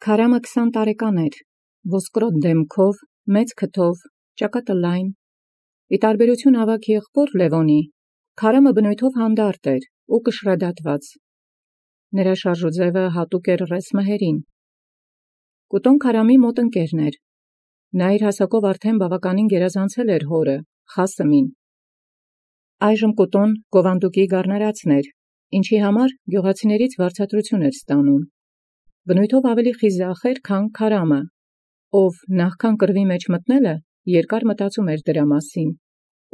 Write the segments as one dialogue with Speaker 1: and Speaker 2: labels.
Speaker 1: Քարամը 20 տարեկան էր, ոսկրոտ դեմքով, մեծ քթով, ճակատը լայն։ Ի տարբերություն ավագ եղբոր Լևոնի, Քարամը բնույթով հանդարտ էր ու կշռադատված։ Նրա շարժուձևը հատուկ էր ռես մհերին։ Կուտոն Քարամի մոտ ընկերն էր։ Նա իր հասակով արդեն բավականին գերազանցել էր հորը, Խասմին։ Այժմ Կուտոն Գովանդուկի գառնարածն էր, ինչի համար գյուղացիներից վարձատրություն էր ստանում։ Բնույթով ավելի խիզախ էր, քան Քարամը, ով նախքան կռվի մեջ մտնելը երկար մտածում էր դրա մասին,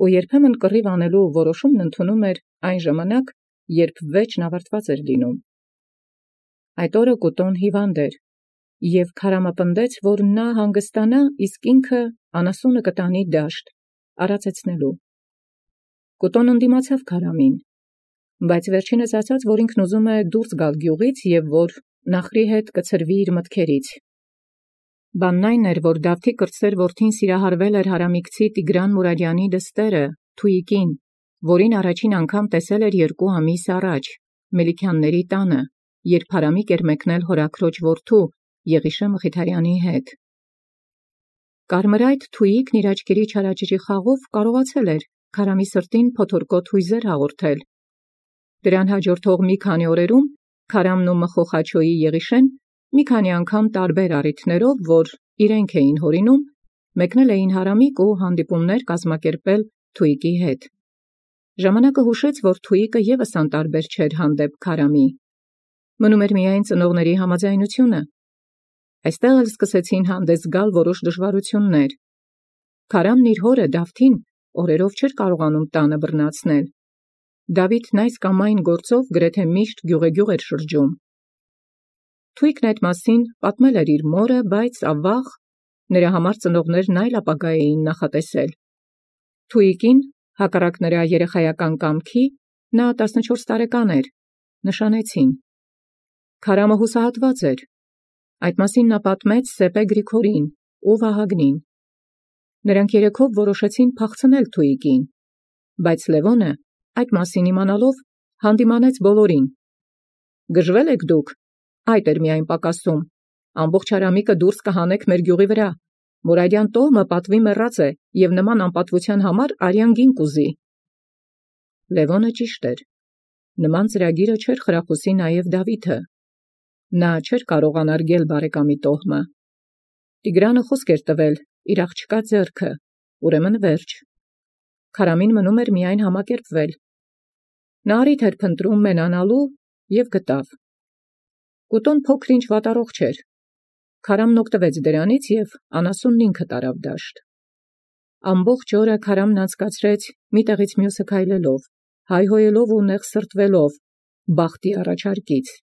Speaker 1: ու երբեմն կռիվ անելու որոշումն ընդունում էր այն ժամանակ, երբ վեճն ավարտված էր լինում։ Այդ օրը Կուտոն հիվանդ էր, և Քարամը պնդեց, որ նա հանգստանա, իսկ ինքը անասունը կտանի դաշտ, արածեցնելու։ Կուտոն ընդդիմացավ Քարամին, բայց վերջինս ասաց, որ ինքն ուզում է դուրս գալ գյուղից և որ նախրի հետ կցրվի իր մտքերից։ Բանն այն էր, որ Դավթի կրտսեր որդին սիրահարվել էր հարամիկցի Տիգրան Մուրադյանի դստերը, Թուիկին, որին առաջին անգամ տեսել էր 2 ամիս առաջ, Մելիքյանների տանը, երբ հարամիկ էր մեկնել հորաքրոջ որդու, Եղիշե Մխիթարյանի հետ։ Կարմրայթ Թուիկն իր աչքերի չարաճճի խաղով կարողացել էր Քարամի սրտին փոթորկոտ հույզեր հաղորդել։ Դրան հաջորդող մի քանի օրերում Քարամն ու Մխոխաչոյի Եղիշեն մի քանի անգամ տարբեր առիթներով, որ իրենք էին հորինում, մեկնել էին հարամիկ ու հանդիպումներ կազմակերպել Թուիկի հետ։ Ժամանակը հուշեց, որ Թուիկը ևս անտարբեր չէր հանդեպ Քարամի։ Մնում էր միայն ծնողների համաձայնությունը։ Այստեղ էլ սկսեցին հանդես գալ որոշ դժվարություններ։ Քարամն իր հորը Դավթին օրերով չէր կարողանում տանը բռնացնել։ Դավիթն այս կամ այն գործով գրեթե միշտ գյուղեգյուղ էր շրջում։ Թուիկն այդ մասին պատմել էր իր մորը, բայց ավաղ նրա համար ծնողներն այլ ապագա էին նախատեսել։ Թուիկին, հակառակ նրա երեխայական կամքի, նա 14 տարեկան էր, նշանեցին։ Քարամը հուսահատված էր։ Այդ մասին նա պատմեց Սեպե Գրիգորին ու Վահագնին։ Նրանք երեքով որոշեցին փախցնել Թուիկին, բայց Լևոնը, այդ մասին իմանալով, հանդիմանեց բոլորին։ «Գժվել եք դուք, այդ էր միայն պակասում, ամբողջ հարամիկը դուրս կհանեք մեր գյուղի վրա, Մուրադյան տոհմը պատվի մեռած է և նման անպատվության համար արյան գին կուզի»։ Լևոնը ճիշտ էր։ Նման ծրագիրը չէր խրախուսի նաև Դավիթը։ Նա չէր կարող անարգել բարեկամի տոհմը։ Տիգրանը խոսք էր տվել իր աղջկա ձեռքը, ուրեմն վերջ։ Քարամին մնում էր միայն համակերպվել։ Նա առիթ էր փնտրում մենանալու և գտավ։ Կուտոն փոքր-ինչ վատառողջ չէր։ Քարամն օգտվեց դրանից և անասունն ինքը տարավ դաշտ։ Ամբողջ օրը Քարամն անցկացրեց մի տեղից մյուսը քայլելով, հայհոյելով ու նեղսրտվելով բախտի առաջարկից։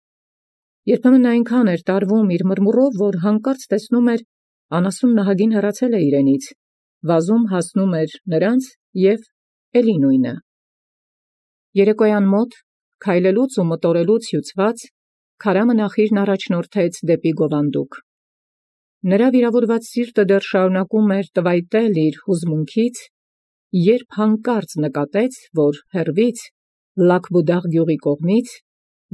Speaker 1: Երբեմն նա այնքան էր տարվում իր մրմուրով, որ հանկարծ տեսնում էր անասուն նահագին հեռացել է իրենից, վազում հասնում էր նրանց և էլի նույնը։ Երեկոյան մոտ, քայլելուց ու մտորելուց հյուծված, Քարամը նախիրն առաջնորդեց դեպի Գովանդուկ։ Նրա վիրավորված սիրտը դեռ շարունակում էր տվայտել իր հուզմունքից, երբ հանկարծ նկատեց, որ հեռվից, Լաքբուդաղ գյուղի կողմից,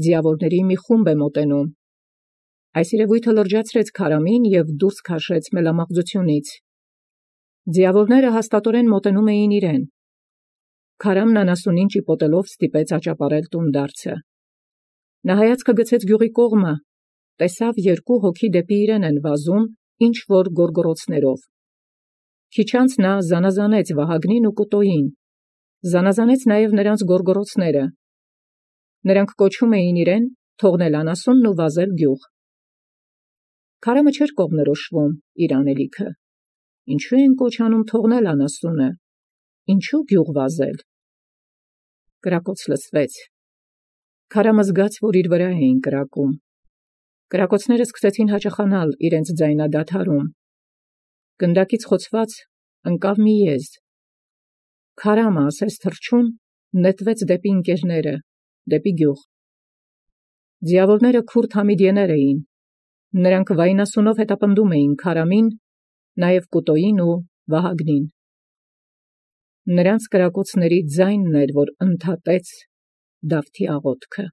Speaker 1: ձիավորների մի խումբ է մոտենում։ Այս երևույթը լրջացրեց Քարամին և դուրս քաշեց մելամաղձությունից։ Ձիավորները հաստատորեն մոտենում էին իրեն։ Քարամն անասունին ճիպոտելով ստիպեց աճապարել տունդարձը։ Նա հայացքը գցեց գյուղի կողմը, տեսավ 2 հոգի դեպի իրեն են վազում ինչ-որ գոռգոռոցներով։ Քիչ անց նա զանազանեց Վահագնին ու Կուտոյին, զանազանեց նաև նրանց գոռգոռոցները։ Նրանք կոչում էին իրեն թողնել անասունն ու վազել գյուղ։ Քարամը չէր կողմնորոշվում իր անելիքը։ Ինչու են կոչ անում թողնել անասունը, ինչու գյուղ վազել։ Կրակոց լսվեց։ Քարամը զգաց, որ իր վրա էին կրակում։ Կրակոցները սկսեցին հաճախանալ իրենց ձայնադադարում։ Գնդակից խոցված ընկավ մի եզ։ Քարամը, ասես թռչուն, նետվեց դեպի ընկերները, դեպի գյուղ։ Ձիավորները քուրդ համիդիեներ էին։ Նրանք վայնասունով հետապնդում էին Քարամին, նաև Կուտոյին ու Վահագնին։ Նրանց կրակոցների ձայնն էր, որ ընդհատեց Դավթի աղոթքը։